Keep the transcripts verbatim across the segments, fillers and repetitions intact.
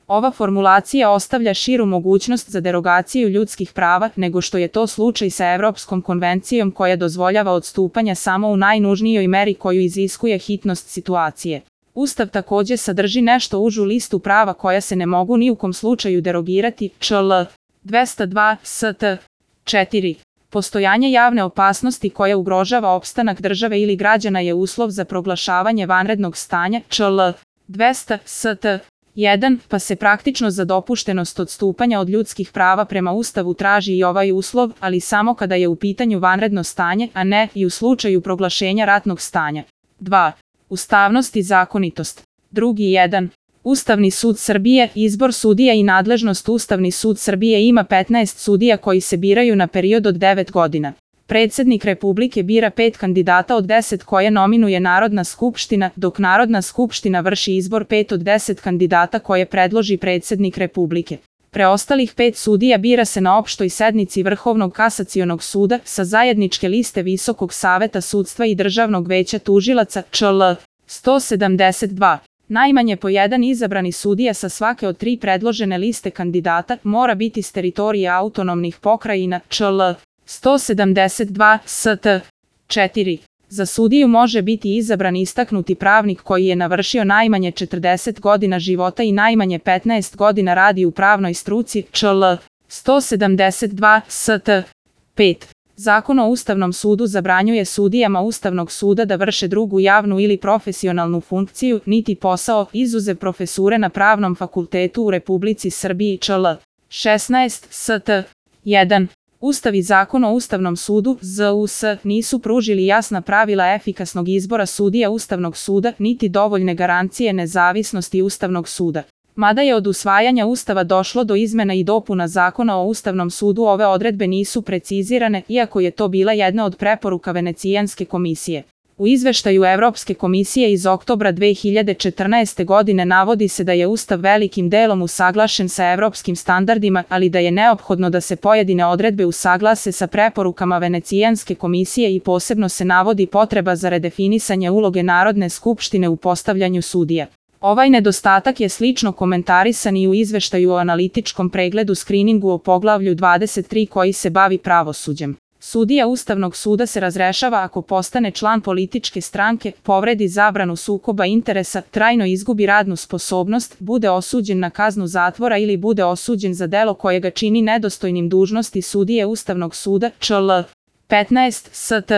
Ova formulacija ostavlja širu mogućnost za derogaciju ljudskih prava nego što je to slučaj sa Evropskom konvencijom koja dozvoljava odstupanja samo u najnužnijoj meri koju iziskuje hitnost situacije. Ustav takođe sadrži nešto užu listu prava koja se ne mogu ni u kom slučaju derogirati, čl. dvesta dva st. četiri. Postojanje javne opasnosti koja ugrožava opstanak države ili građana je uslov za proglašavanje vanrednog stanja, čl. dvesta st. jedan, pa se praktično za dopuštenost odstupanja od ljudskih prava prema Ustavu traži i ovaj uslov, ali samo kada je u pitanju vanredno stanje, a ne i u slučaju proglašenja ratnog stanja. dva. Ustavnost i zakonitost. Drugi jedan. Ustavni sud Srbije, izbor sudija i nadležnost. Ustavni sud Srbije ima petnaest sudija koji se biraju na period od devet godina. Predsednik Republike bira pet kandidata od deset koje nominuje Narodna skupština, dok Narodna skupština vrši izbor pet od deset kandidata koje predloži predsednik Republike. Preostalih pet sudija bira se na opštoj sednici Vrhovnog kasacionog suda sa zajedničke liste Visokog saveta sudstva i Državnog veća tužilaca, čl. sto sedamdeset dva. Najmanje po jedan izabrani sudija sa svake od tri predložene liste kandidata mora biti s teritorije autonomnih pokrajina, čl. sto sedamdeset dva st. četiri. Za sudiju može biti izabran istaknuti pravnik koji je navršio najmanje četrdeset godina života i najmanje petnaest godina radi u pravnoj struci, čl. sto sedamdeset dva st. pet. Zakon o Ustavnom sudu zabranjuje sudijama Ustavnog suda da vrše drugu javnu ili profesionalnu funkciju, niti posao, izuzev profesure na Pravnom fakultetu u Republici Srbiji, čl. šesnaest st. jedan. Ustav i Zakon o Ustavnom sudu Z U S nisu pružili jasna pravila efikasnog izbora sudija Ustavnog suda, niti dovoljne garancije nezavisnosti Ustavnog suda. Mada je od usvajanja Ustava došlo do izmena i dopuna Zakona o Ustavnom sudu, ove odredbe nisu precizirane, iako je to bila jedna od preporuka Venecijanske komisije. U izveštaju Evropske komisije iz oktobra dve hiljade četrnaeste. godine navodi se da je Ustav velikim delom usaglašen sa evropskim standardima, ali da je neophodno da se pojedine odredbe usaglase sa preporukama Venecijanske komisije i posebno se navodi potreba za redefinisanje uloge Narodne skupštine u postavljanju sudija. Ovaj nedostatak je slično komentarisan i u izveštaju o analitičkom pregledu skriningu o poglavlju dvadeset tri koji se bavi pravosuđem. Sudija Ustavnog suda se razrešava ako postane član političke stranke, povredi zabranu sukoba interesa, trajno izgubi radnu sposobnost, bude osuđen na kaznu zatvora ili bude osuđen za delo koje ga čini nedostojnim dužnosti sudije Ustavnog suda, čl. petnaest st.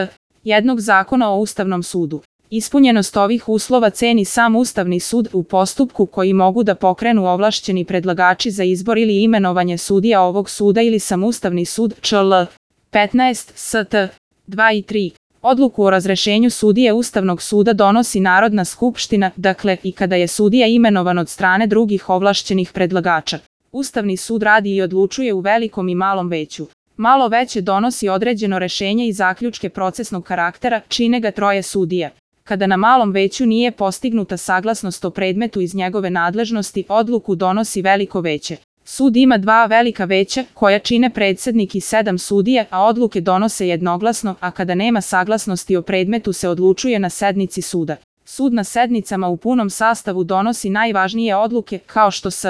jednog Zakona o Ustavnom sudu. Ispunjenost ovih uslova ceni sam Ustavni sud u postupku koji mogu da pokrenu ovlašćeni predlagači za izbor ili imenovanje sudija ovog suda ili sam Ustavni sud, čl. petnaest st. dva i tri. Odluku o razrešenju sudije Ustavnog suda donosi Narodna skupština, dakle i kada je sudija imenovan od strane drugih ovlašćenih predlagača. Ustavni sud radi i odlučuje u velikom i malom veću. Malo veće donosi određeno rešenje i zaključke procesnog karaktera, čine ga troje sudija. Kada na malom veću nije postignuta saglasnost o predmetu iz njegove nadležnosti, odluku donosi veliko veće. Sud ima dva velika veća, koja čine predsednik i sedam sudija, a odluke donose jednoglasno, a kada nema saglasnosti o predmetu se odlučuje na sednici suda. Sud na sednicama u punom sastavu donosi najvažnije odluke, kao što s